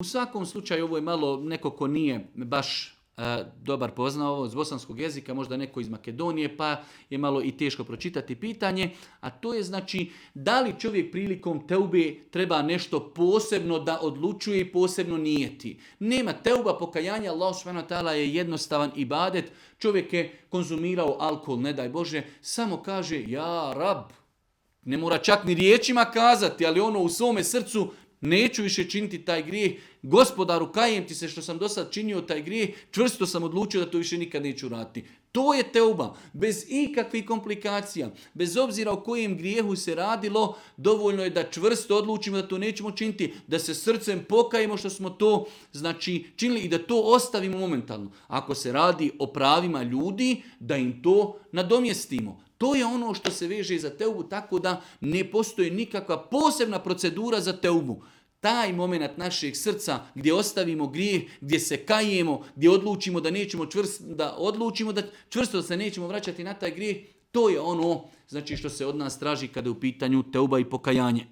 svakom slučaju ovo je malo neko ko nije baš dobar poznao ovo iz bosanskog jezika, možda neko iz Makedonije, pa je malo i teško pročitati pitanje, a to je znači da li čovjek prilikom teube treba nešto posebno da odlučuje i posebno nijeti. Nema teuba, pokajanja, Allah subhanahu wa ta'ala je jednostavan ibadet, čovjek je konzumirao alkohol, ne daj Bože, samo kaže ja rab, ne mora čak ni riječima kazati, ali ono u svome srcu neću više činiti taj grijeh. Gospodaru, kajem ti se što sam do sad činio taj grijeh, čvrsto sam odlučio da to više nikad neću raditi. To je teuba, bez ikakvih komplikacija, bez obzira o kojem grijehu se radilo, dovoljno je da čvrsto odlučimo da to nećemo činiti, da se srcem pokajemo što smo to znači činili i da to ostavimo momentalno. Ako se radi o pravima ljudi, da im to nadomjestimo. To je ono što se veže za teubu, tako da ne postoji nikakva posebna procedura za teubu. Taj moment našeg srca gdje ostavimo grijeh, gdje se kajemo, gdje odlučimo da nećemo čvrsto da se nećemo vraćati na taj grijeh, to je ono znači što se od nas traži kada je u pitanju teuba i pokajanje.